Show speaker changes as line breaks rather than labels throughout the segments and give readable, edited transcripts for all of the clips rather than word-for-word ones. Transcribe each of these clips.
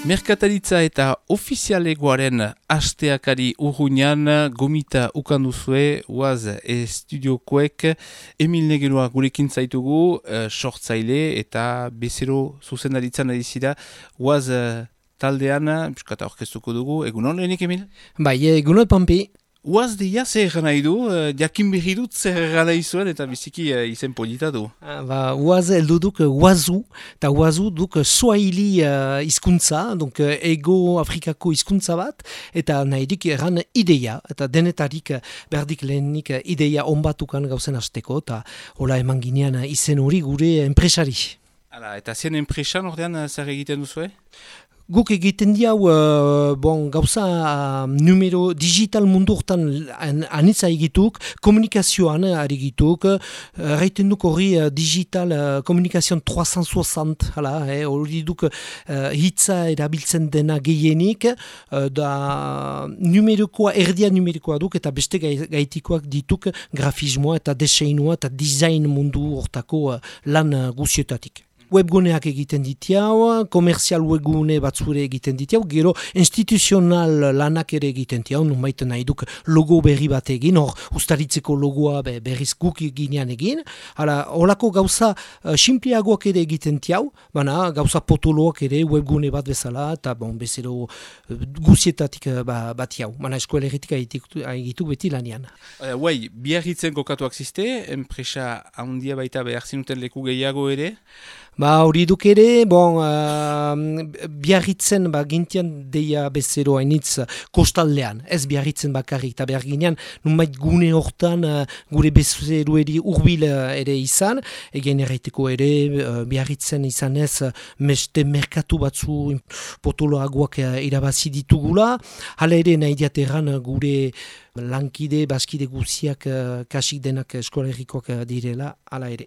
Merkataritza eta ofizialegoaren hasteakari urruñan gomita ukanduzue, uaz estudiokoek Emil Negeroa gurekin zaitugu, sortzaile eta bezero zuzendaritzan adizira, uaz taldean, biskata orkestuko dugu, egunon lehenik Emil?
Bai, egunon Pampi.
Uaz deia zer gana idu, jakin berri dut zer gana izuen eta biziki izen polita du.
Uaz eldu duk Uazu, eta Uazu duk Swahili hizkuntza, donc ego Afrikako hizkuntza bat, eta nahirik erran ideia, eta denetarik berdik lehenik ideia onbatukan gauzen hasteko, eta hola eman ginean izen hori gure enpresari.
Hala, eta zien enpresan ordean zer egiten duzue?
Guk egiten diau, gauza numero digital mundu hortan anitza egituk, komunikazioan ari egituk, erraiten duk hori digital komunikazioan 360, hori duk hitza erabiltzen dena gehienik, da numerokoa, erdia numerokoa duk, eta beste gaitikoak dituk grafismoa eta deseinua eta design mundu hortako lan guzietatik. Webguneak egiten ditiau, komerzial webgune batzure egiten ditiau, gero instituzional lanak ere egiten ditiau, numait nahi duk logo berri bat egin, hor ustaritzeko logoa berriz guk eginean egin, holako gauza simpliagoak ere egiten ditiau, baina gauza potoloak ere webgune bat bezala, eta bezero guzietatik bat jau, baina eskoleretik egituk beti lanian.
Biarritzen kokatuak ziste, enpresa handia baita behar zinuten leku gehiago ere?
Hori duk ere, biarritzen gintian deia bezero hainitz kostaldean, ez biarritzen bakarrik, eta behar ginean, numait gune hortan gure bezeroeri urbil ere izan, egen erraiteko ere biarritzen izan ez meste merkatu batzu potoloagoak irabazi ditugula, hala ere nahi diateran gure lankide, baskide guziak kasik denak eskolerikoak direla, hala ere.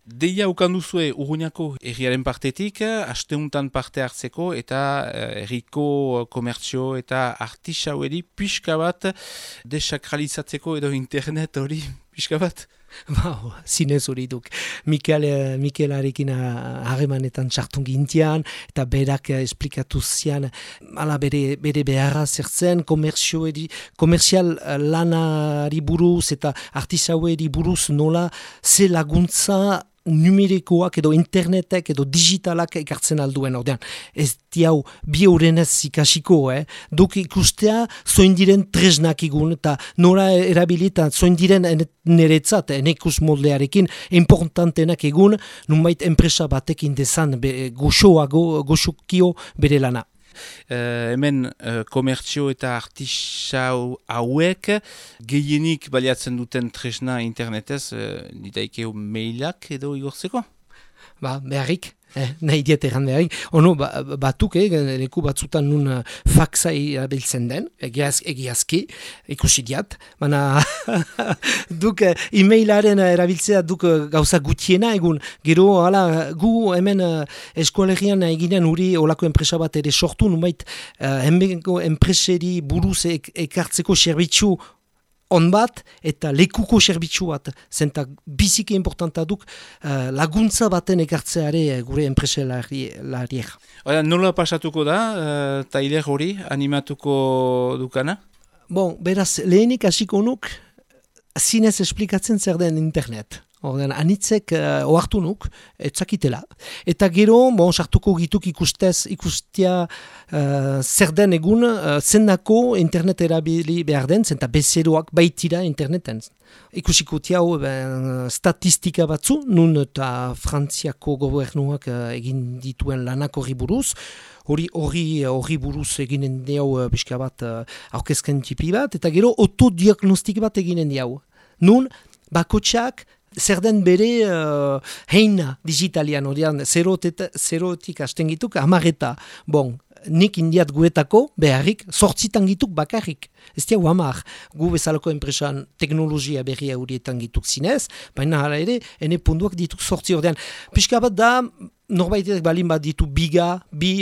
Deia ukanduzue Urruñako herriaren partetik, asteuntan parte hartzeko eta herriko komertzio eta artisaueri pixka bat desakralizatzeko edo internet hori pixka bat?
Zinez hori duk. Mikelarekin harremanetan txartun gintian, eta berak esplikatu zian, bere beharra zertzen, komerzial lanari buruz eta artisaueri buruz nola ze laguntza numerikoak edo internetek edo digitalak ekartzen alduen ordean. Ez diau bi horrenez ikasiko, duk ikustea zoin diren tresnak igun eta nora erabilita zoin diren niretzat, enekus moldearekin importantenak egun, numait enpresa batekin dezan goxokio bere lana.
Hemen komertzio eta artisau hauek gehienik baliatzen duten tresna internetez, ditaikeo mailak edo igortzeko?
Beharrik. Nahi diet erran beharik. Batuk, leku batzutan nun faxa erabiltzen den, egiazki, ikusi diat, baina duk e-mailaren erabiltzea duk gauza gutiena egun, gero gu hemen eskualerian eginean uri olako enpresa bat ere sortu, numait hemenko enpreseri buruz ekartzeko serbitzu on bat eta lekuko serbitzu bat, zenta biziki importanta duk laguntza baten ekartzeare gure enpreselariek.
Nola pasatuko da, tailer hori animatuko dukana?
Beraz, lehenik hasiko nuk, zinez esplikatzen zer den internet. Anitzek ohartu nuk, etzakitela. Eta gero, sartuko gituk ikustia zer den egun, zendako internet erabili behar den, zenta bezeroak baitira interneten. Ikusiko tiau statistika batzu, nun eta Frantziako gobernuak egin dituen lanak horri buruz, hori buruz eginen diau pixka bat aurkezken tipi bat, eta gero autodiagnostik bat eginen diau. Nun, bakotxak, zer den bere heina digitalian, zerotik hasten gituk, amareta. Nik indiat guetako beharrik, 8 gituk bakarrik. Ez diau 10, gu bezalako enpresan teknologia berria horietan gituk zinez, baina hala ere, ene punduak dituk 8 ordean. Pixka bat da, norbaitek balin bat ditu bi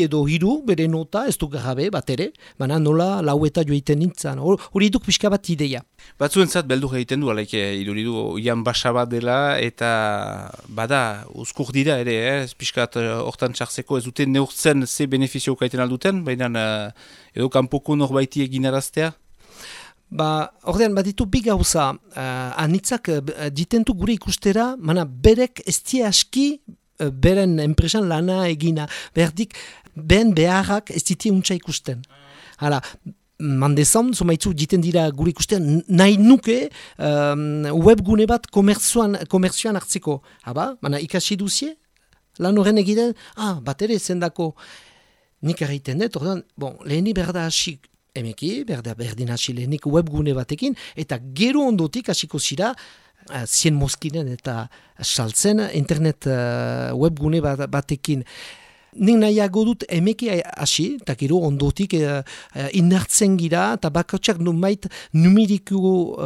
edo hiru, bere nota, ez du gabe bat ere, baina nola laueta joiten nintzen. Hori duk pixka bat ideia.
Batzuentzat beldur egiten du, alaik iduridu ian basa bat dela, eta bada, uzkur dira ere, ez pixkat hortan txartzeko ez duten neurtzen ze benefizio kaiten alduten, baina edo kanpoko norbaiti egin araztea?
Ordean, ditu bi gauza, anitzak ditentu gure ikustera, mana berek ez die aski beren enpresan lana egina. Berdik, behen beharrak ez ditie untsa ikusten. Hala, mandezan, zomaitzu diten dira gure ikusten, nahi nuke webgune bat komerzioan hartzeko. Haba, mana ikasi duzie, lan horren egiten, bat ere zendako nik erraiten dut, ordean, leheni berda hasi emeki, berdin hasi lehenik webgune batekin, eta gero ondotik hasiko zira, 100 moskinen eta saltzen internet webgune batekin. Nik nahiago dut emeki hasi, eta gero ondotik inartzen gira, eta bakotxak numait numeriku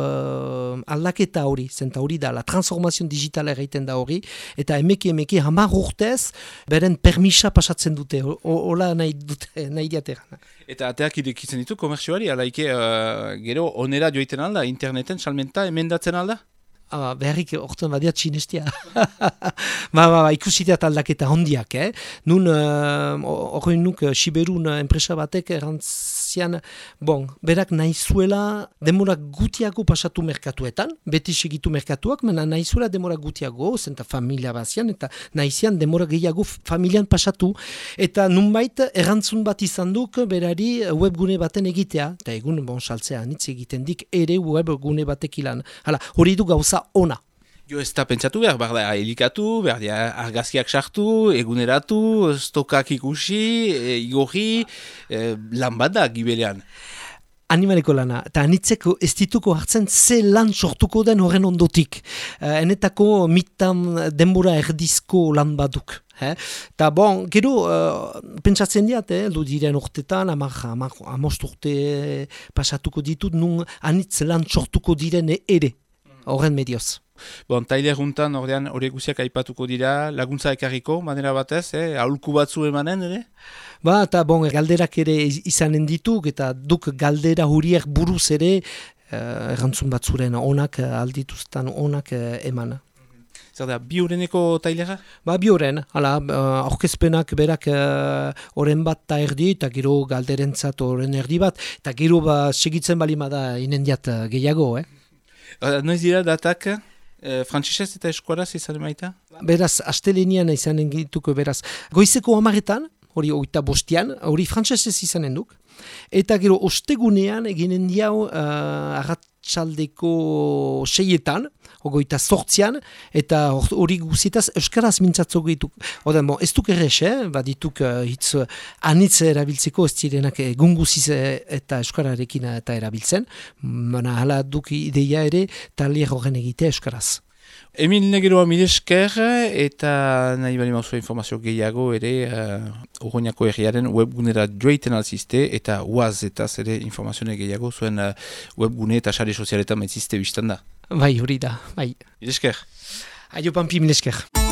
aldaketa hori, zenta hori da, la transformazio digitala egiten da hori, eta emeki hamar urtez, beren permisa pasatzen dute, hola nahi diateran.
Eta ateak irekitzen ditu komerzioari, alaike gero onera joiten alda, interneten salmenta emendatzen alda?
Beharrik orten badiat sinestia. Ikusitea aldaketa hondiak, Nun, horrein nuk, Siberun enpresa batek erantzian, berak nahizuela demora gutiago pasatu merkatuetan, beti segitu merkatuak, mena nahizuela demora gutiago, zenta familia bazian, eta nahizian demora gehiago familian pasatu, eta nunbait erantzun bat izan duk, berari webgune baten egitea, eta egun, saltzea, nitz egiten dik, ere webgune batek ilan. Hala, hori du gauza ona.
Jo ez da pentsatu behar da helikatu, behar da argazkiak sartu, eguneratu, stokak ikusi, igorri, lan bat da gibelean.
Animaleko lana, eta anitzeko ez dituko hartzen ze lan sortuko den horren ondotik. Enetako mitan denbora erdizko lan baduk. Eta gero, pentsatzen diat, du diren urtetan, amost urte pasatuko ditut, nun anitz lan sortuko diren ere. Horren medioz.
Tailer juntan horiek guziak aipatuko dira, laguntza ekarriko, manera batez, aholku batzu emanen, ere?
Eta galderak ere izanen dituk, eta duk galdera huriek buruz ere, errantzun batzuren onak aldituztan onak eman.
Zer da, bi horreneko tailera?
Bi horren, aurkezpenak berak horren bat ta erdi, eta gero galderentzat horren erdi bat, eta gero segitzen balima da inendiat gehiago,
Noiz dira datak, frantzesez eta eskuaraz izan emaita?
Beraz, astelenian izanen gituko beraz. Goizeko 10etan, hori 25an, hori frantzesez izanen duk. Eta gero ostegunean eginen diau arratsaldeko 6etan, 28an, eta hori guzitaz euskaraz mintzatzo gehituk. Ez duk errez, dituk hitz anitz erabiltzeko ez zirenak egun guziz eta euskararekin eta erabiltzen. Hala duk ideia ere talier horren egitea euskaraz.
Emil Negeroa milesker eta nahi bali mauzua informazio gehiago ere Urruñako herriaren webgunera joiten alzizte eta uaz eta zere informazio gehiago zuen webgune eta sare sozialetan maitzizte biztan da.
Bai, hori da, bai.
Milesker.
Aio Pampi, milesker.